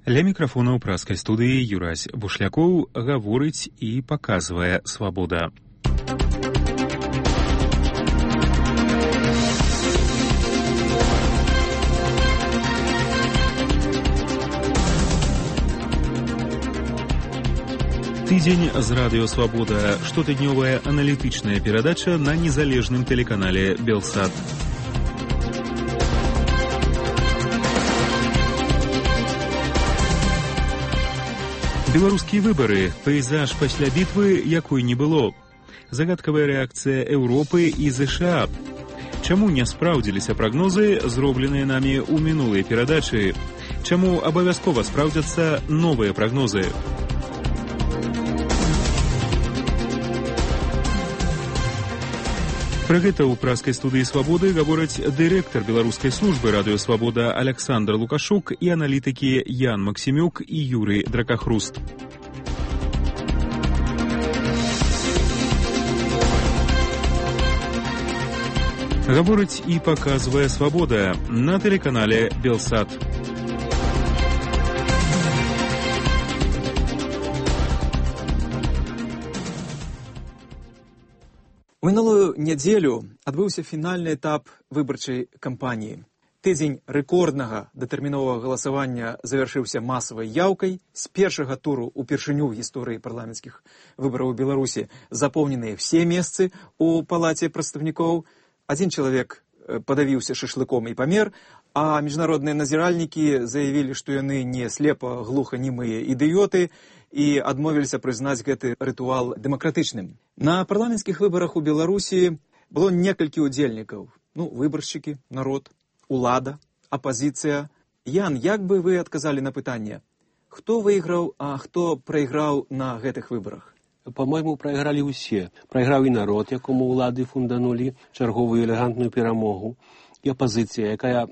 Ля мікрафона ў праскай студыі Юрась Бушлякоў гаворыць і паказвае «Свабода». Тыдзень з радыё «Свабода» – штотыднёвая аналітычная перадача на незалежным тэлеканале «Белсат». Беларускія выбары. Пейзаж пасля бітвы, якой не было. Загадкавая рэакцыя Еўропы і ЗША. Чаму не спраўдзіліся прагнозы, зробленыя намі ў мінулай перадачы? Чаму абавязкова спраўдзяцца новыя прагнозы? Пра гэта ў праскай студыі «Свабоды» гавораць дырэктар беларускай службы радыё «Свабода» Аляксандр Лукашук і аналітыкі Ян Максімюк і Юрый Дракахруст. Гаворыць і паказвае «Свабода» на тэлеканале «Белсат». У мінулую нядзелю адбыўся фінальны этап выбарчай кампаніі. Тыдзень рэкорднага датэрміновага галасавання завяршыўся масавай яўкай. З першага туру упершыню ў гісторыі парламенцкіх выбараў у Беларусі запоўненыя все месцы ў палаце прадстаўнікоў. Адзін чалавек падавіўся шашлыком і памер, а міжнародныя назіральнікі заявілі, што яны не слепа-глуханімыя ідыёты і адмовіліся прызнаць гэты рытуал дэмакратычным. На парламенцкіх выбарах у Беларусі было некалькі удзельнікаў. Выбаршчыкі, народ, улада, апазіцыя. Ян, як бы вы адказалі на пытанне, хто выйграў, а хто прайграў на гэтых выбарах? По-мойму, прайгралі ўсе. Прайграў і народ, якому ўлады фунданулі чарговую элегантную перамогу, і апазіцыя, якая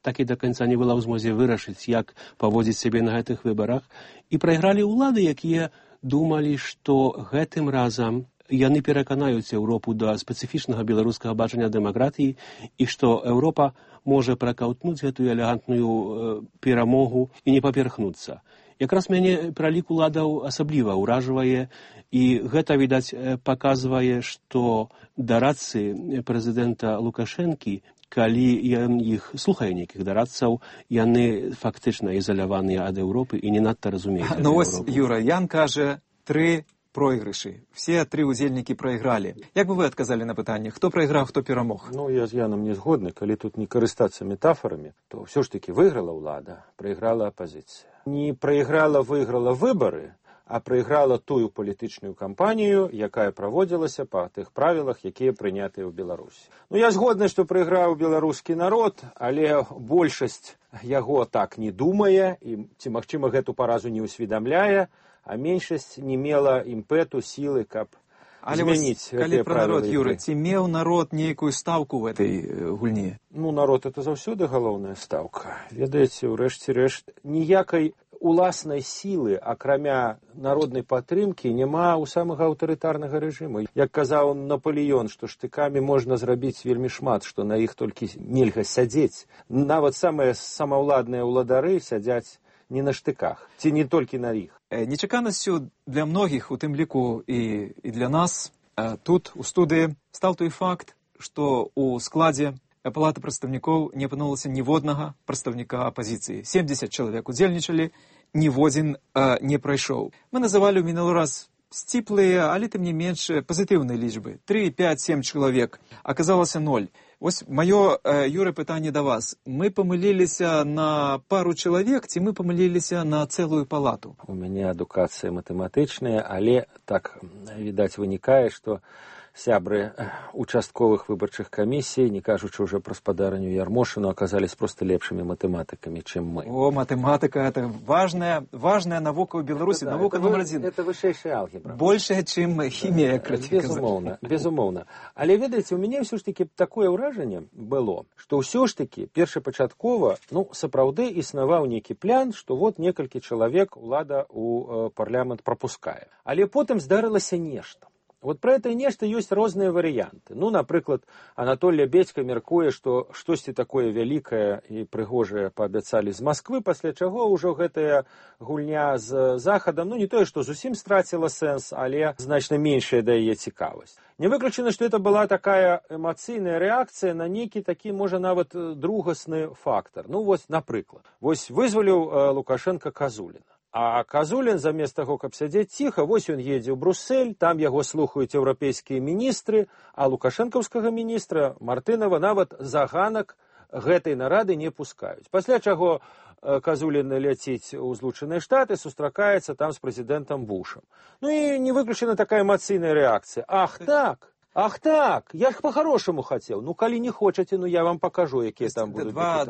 так і да канца не была ў змозе вырашыць, як паводзіць сябе на гэтых выбарах. І прайгралі ўлады, якія думалі, што гэтым разам яны пераканаюць Еўропу да спецыфічнага беларускага бачання дэмакратыі і што Еўропа можа пракаўтнуць гэтую элегантную перамогу і не паперхнуцца. Якраз мяне пралік уладаў асабліва ўражвае, і гэта, відаць, паказвае, што дарадцы прэзідэнта Лукашэнкі, калі ён іх слухае нейкіх дарадцаў, яны фактычна ізаляваныя ад Еўропы і не надта разумеюць Еўропу. Ось, Юра, Ян кажа, 3 пройгрышы. Все 3 удзельнікі прайгралі. Як бы вы адказалі на пытанне, хто прайграў, хто перамог? Я з Янам не згодны. Калі тут не карыстацца метафорамі, то ўсё ж такі выйграла ўлада, прайграла апазіцыя. Не прайграла, выйграла выбары, а прайграла тую палітычную кампанію, якая праводзілася па тых правілах, якія прынятыя ў Беларусі. Я згодны, што прайграў беларускі народ, але большасць яго так не думае, і ці, магчыма, гэту паразу не ўсведамляе, а меншасць не мела імпэту, сілы, каб змяніць гэтыя правілы. Калі пра народ, Юры, ці меў народ нейкую стаўку ў гэтай гульні? Народ — это заўсёды галоўная стаўка. Ведаеце, ўрэшце рэшт, ніякай уласнай сілы, акрамя народнай падтрымкі, няма ў самага аўтарытарнага рэжыму. Як казаў Напалеон, што штыкамі можна зрабіць вельмі шмат, што на іх толькі нельга сядзець. Нават самыя самаўладныя ўладары сядзяць не на штыках, ці не толькі на іх. Нечаканасцю для многіх, у тым ліку і для нас, тут, у студыі, стаў той факт, што ў складзе палаты прадстаўнікоў не апынулася ніводнага прадстаўніка апазіцыі. 70 чалавек удзельнічалі, ніводзін не прайшоў. Мы называлі ў мінулы раз сціплыя, але тым не менш пазітыўныя лічбы. 3, 5, 7 чалавек. Аказалася 0. Вось маё, Юра, пытанне да вас. Мы памыліліся на пару чалавек, ці мы памыліліся на цэлую палату? У мяне адукацыя матэматычная, але так, відаць, вынікае, што сябры участковых выбарчых камісій, не кажучы ўжо пра спадарню Ярмошыну, аказались проста лепшымі матэматыкамі, чым мы. Матэматыка — это важная навука ў Беларусі, навука номер 1. Это вышэйшая алгебра. Большая, чым хімія, краці казаць. Безумоўна. Але, ведаеце, у мяне ўсё ж такі такое ўражанне было, што ўсё ж такі першапачаткова, сапраўды існаваў нейкі план, што некалькі чалавек улада ў парламент прапускае. Але потым здарылася нешта. Вот про это нешта ёсць розныя варыянты. Ну, напрыклад, Анатолий Бедька мяркуе, што штосьці такое вялікае і прыгожае паабяцалі з Масквы, пасля чаго ўжо гэтая гульня з захадам, ну, не тое, што зусім страціла сэнс, але значна меншая да яе цікавасць. Не выключана, што это была такая эмацыйная рэакцыя на нейкі такі, можа, нават другасны фактар. Ну, вось, напрыклад, вось вызваліў Лукашенко Казуліна. А Казулін, замест таго, каб сядзець ціха, вось ён едзе ў Бруссель, там яго слухаюць еўрапейскія міністры, а лукашэнкаўскага міністра Мартынова нават за ганак гэтай нарады не пускаюць. Пасля чаго Казулін ляціць у Злучаныя Штаты, сустракаецца там з прэзідэнтам Бушам. Ну і не выключана такая эмацыйная рэакцыя. Ах так, я ж по-хорошаму хацеў. Ну, калі не хочаце, ну я вам покажу, якія там будуць два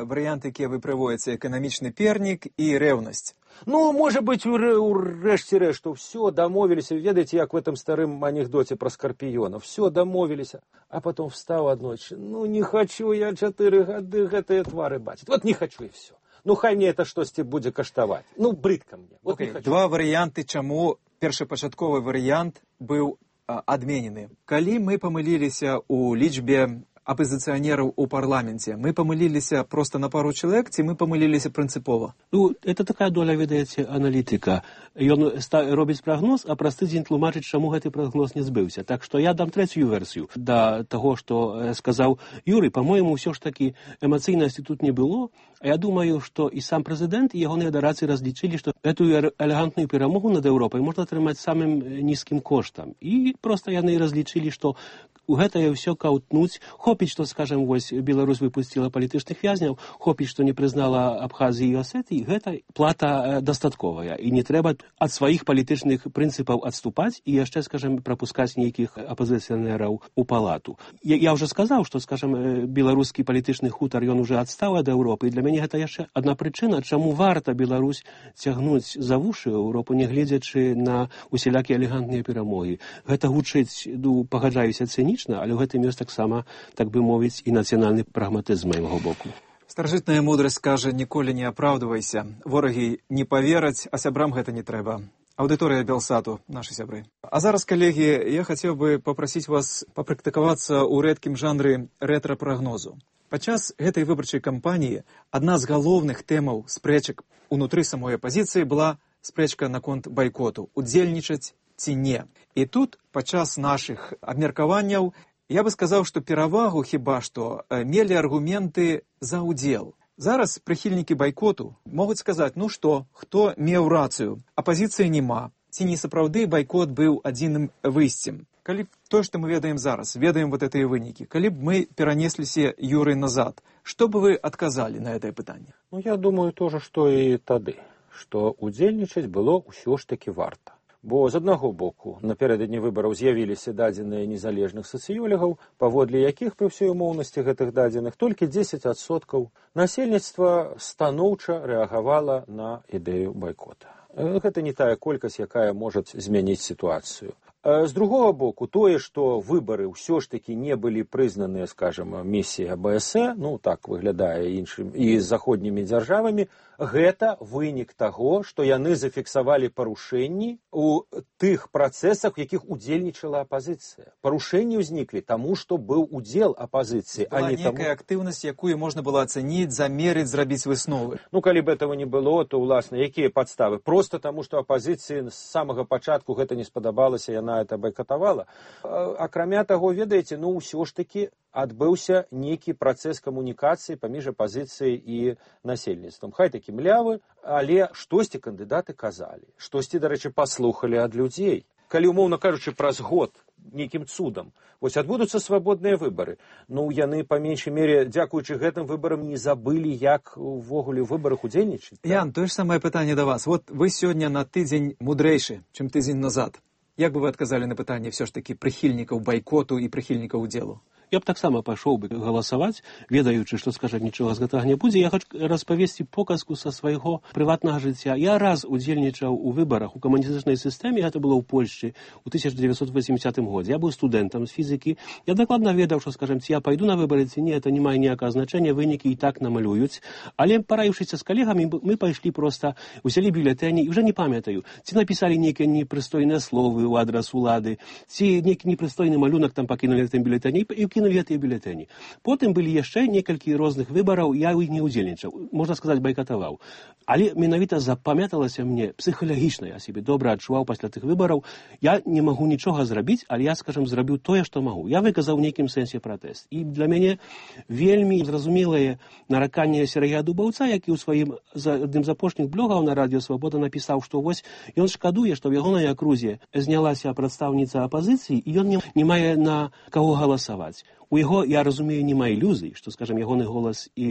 варыянты, якія вы прыводзіце: эканамічны пернік і рэўнасць. Ну, можа быць, урэшце рэшту, все, дамовіліся. Ведаеце, як в этом старым анекдоце про скорпіёна. Все, дамовіліся. А потом встаў аднойчы. Ну, не хочу я 4 гады гэтыя твары бачыць. Вот не хочу і все. Ну, хай мне это штосьці будзе каштаваць. Ну, брыдка мне. Вот Два варыянты, чаму першапачатковы варыянт быў адменены. Калі мы памыліліся ў лічбе апозіцыянераў у парламенце, мы памыліліся проста на пару чалавек, ці мы памыліліся прынцыпова? Ну, это такая доля, ведаеце, аналітыка. Ён робіць прагноз, а праз тыдзень тлумачыць, чаму гэты прагноз не збыўся. Так што я дам трэцюю версію да таго, што сказаў Юрый. Па-мойму, ўсё ж такі эмацыйнасці тут не было. А я думаю, што і сам прэзідэнт, і ягоныя дарацы разлічылі, што гэтую элегантную перамогу над Еўропай можна атрымаць самым нізкім коштам. І проста яны разлічылі, што у гэтае ўсё каўтнуць. Хопіць, што, скажем, вось Беларусь выпусціла палітычных вязняў, хопіць, што не прызнала Абхазіі і Асетыі, гэта плата дастатковая. І не трэба ад сваіх палітычных прынцыпаў адступаць і яшчэ, скажем, прапускаць нейкіх апозіцыянераў у палату. Я ўжо сказаў, што, скажем, беларускі палітычны хутар, ён уже адстаў ад Еўропы. І для мяне гэта яшчэ адна прычына, чаму варта Беларусь цягнуць за вушы Еўропу, не гледзячы на усялякія элегантныя перамогі. Гэта гучыць, пагаджаюся, цынічна, але ў гэтым ёсць таксама, так бы мовіць, і нацыянальны прагматызм з майго боку. Старажытная мудрасць кажа: ніколі не апраўдвайся. Ворагі не павераць, а сябрам гэта не трэба. Аўдыторыя Белсату, нашы сябры. А зараз, калегі, я хацеў бы папрасіць вас папрактыкавацца ў рэдкім жанры рэтра-прагнозу. Падчас гэтай выбарчай кампаніі адна з галоўных тэмаў спрэчак унутры самой апазіцыі была спрэчка наконт байкоту, удзельнічаць ці не. І тут, падчас нашых абмеркаванняў, я бы сказаў, што перавагу хіба што мелі аргументы за ўдзел. Зараз прыхільнікі байкоту могуць сказаць: ну што, хто меў рацыю? Апазіцыі няма. Ці не сапраўды байкот быў адзіным выйсцем? Калі то, што мы ведаем зараз, ведаем вот гэтыя вынікі, калі б мы перанесліся, Юрый, назад, што бы вы адказалі на гэтае пытанне? Ну, я думаю тоже, што і тады, што удзельнічаць было ўсё ж такі варта. Бо з аднаго боку напярэдадні выбараў з'явіліся дадзеныя незалежных сацыёлегаў, паводле якіх пры ўсёй умоўнасці гэтых дадзеных толькі 10% насельніцтва станоўча рэагавала на ідэю байкота. Гэта не тая колькасць, якая можа змяніць сітуацыю. З другога боку, тое, што выбары ўсё ж такі не былі прызнаныя, скажем, місіяй АБС, ну так выглядае іншым і з заходнімі дзяржавамі, гэта вынік таго, што яны зафіксавалі парушэнні у тых працэсах, у якіх удзельнічала апазіцыя. Парушэнні ўзніклі таму, што быў удзел апазіцыі, а не таму... Была некая актыўнасць, якую можна было ацаніць, замерыць, зрабіць высновы. Ну, калі б этого не было, то, уласна, якія падставы? Проста таму, што апазіцыі з самага пачатку гэта не спадабалася, яна это байкатавала. Акрамя таго, ведаеце, ну, ўсё ж такі адбыўся нейкі працэс камунікацыі паміж апазіцыяй і насельніцтвам. Хай такі млявы, але штосьці кандыдаты казалі, штосьці, дарэчы, паслухалі ад людзей. Калі, умоўна кажучы, праз год нейкім цудам вось адбудуцца свабодныя выбары, ну, яны, па меншай мере, дзякуючы гэтым выбарам, не забылі, як увогуле ў выбарах удзельнічаць. Ян, тое ж самае пытанне да вас. Вот вы сёння на тыдзень мудрэйшы, чым тыдзень назад. Як бы вы адказалі на пытанне ўсё ж такі прыхільнікаў байкоту і прыхільнікаў удзелу? Я б таксама пайшоў бы галасаваць, ведаючы, што, скажам, нічога з гэтага не будзе. Я хочу распавесці показку са свайго прыватнага жыцця. Я раз удзельнічаў у выбарах у камуністычнай сістэме, гэта было ў Польшчы ў 1980 годзе. Я быў студэнтам з фізікі. Я дакладна ведаў, што, скажам, ці я пайду на выбары, ці не, это не мае ніякага значэння, вынікі і так намалююць. Але параіўшыся з калегамі, мы пайшлі проста, узялі бюлетэні, і ўжо не памятаю, ці напісалі нейкія непрыстойныя словы ў адрас улады, ці нейкі непрыстойны малюнак там пакінулі гэтым бюлетэні і кінулі гэтыя бюлетэні. Потым былі яшчэ некалькі розных выбараў, я ў іх не ўдзельнічаў, можна сказаць, байкатаваў. Але менавіта запамяталася мне псіхалагічна, я сябе добра адчуваў пасля тых выбараў. Я не магу нічога зрабіць, але я, скажам, зрабіў тое, што магу. Я выказаў у нейкім сэнсе пратэст. І для мяне вельмі зразумелае нараканне Сергея Дубаўца, які ў сваім адным з апошніх блогаў на Радіо Свабода напісаў, што вось ён шкадуе, што ў ягонай акрузе знялася прадстаўніца апазіцыі, і ён не мае на каго галасаваць. У яго, я разумею, няма ілюзій, што, скажам, ягоны голас і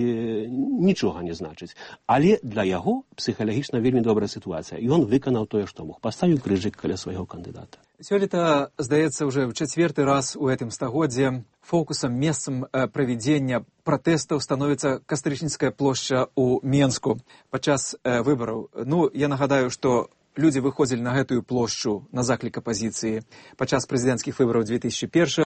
нічога не значыць. Але для яго псіхалагічна вельмі добрая сітуацыя. І ён выканаў тое, што мог. Паставіў крыжык каля свайго кандыдата. Сёлета, здаецца, уже в чацвёрты раз у гэтым стагоддзе фокусам, месцам правядзення пратэстаў становіцца Кастрычніцкая плошча ў Менску падчас выбараў. Ну, я нагадаю, што людзі выходзілі на гэтую плошчу на заклік апазіцыі падчас прэзідэнцкіх выбараў 2001